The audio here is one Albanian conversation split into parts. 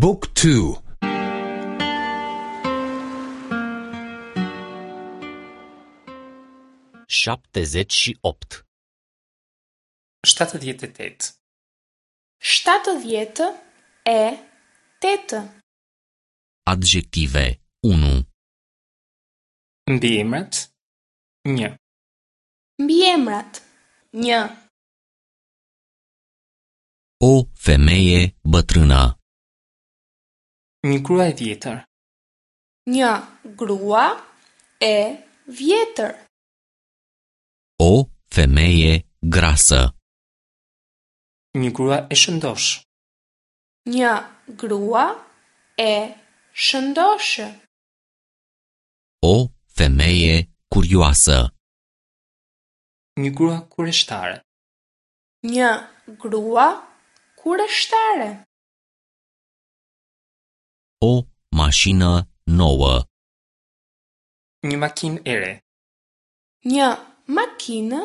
บุ๊กทู 78. 78. 78. Adjective 1. Mbiemrat 1. Mbiemrat 1. O femeie bătrână. Një grua e vjetër. Një grua e vjetër. O femeie grasă. Një grua e shëndoshë. Një grua e shëndoshë. O femeie curioasă. Një grua kureshtare. Një grua kureshtare. O mașină nouă. Një makinë e re. Një makinë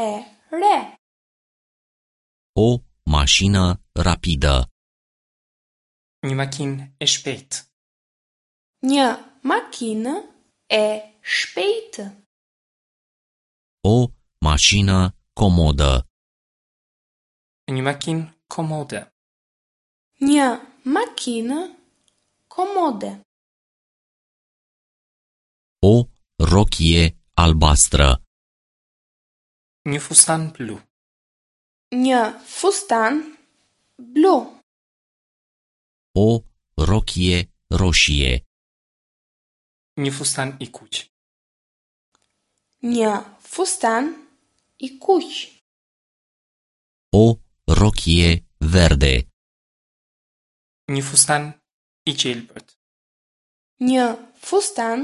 e re. O mașină rapidă. Një makinë e shpejtë. Një makinë e shpejtë. O mașină comodă. Një makinë komode. Një makinë komode. O rochie albastră. Një fustan blu. Një fustan blu. O rochie roșie. Një fustan i kuq. Një fustan i kuq. O rochie verde. Një fustan i gjelbërt. Një fustan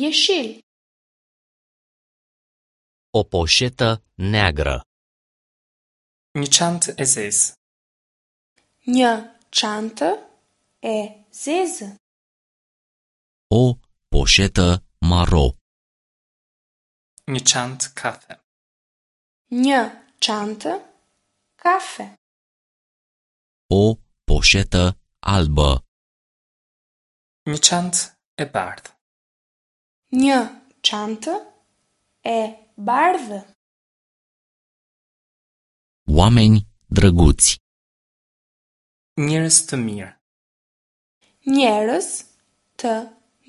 jeshil. O poșetă neagră. Një çantë e zezë. Një çantë e zezë. O poșetă maro. Një çantë kafe. Një çantë kafe. O poșetă albă. Një çantë e bardhë. Një çantë e bardhë. Oameni drăguți. Njerëz të mirë. Njerëz të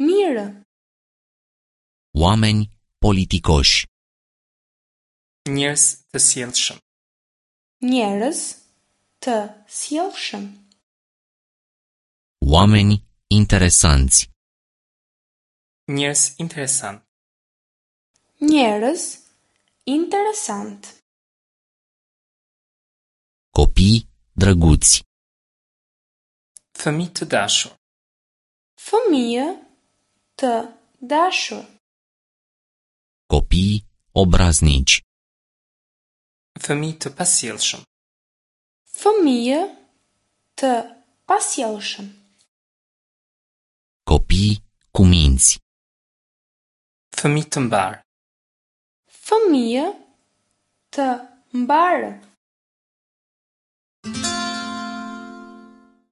mirë. Oameni politicoși. Njerëz të sjellshëm. Njerëz të sjellshëm. Oameni interesanți. Njerëz interesant. Njerëz interesant. Copii drăguți. Fëmijë të dashur. Fëmijë të dashur. Copii obraznici. Fëmijë të pasjellshëm. Fëmijë të pasjellshëm. Copii cu minți. Fëmijë të mbarë. Fëmijë të mbarë.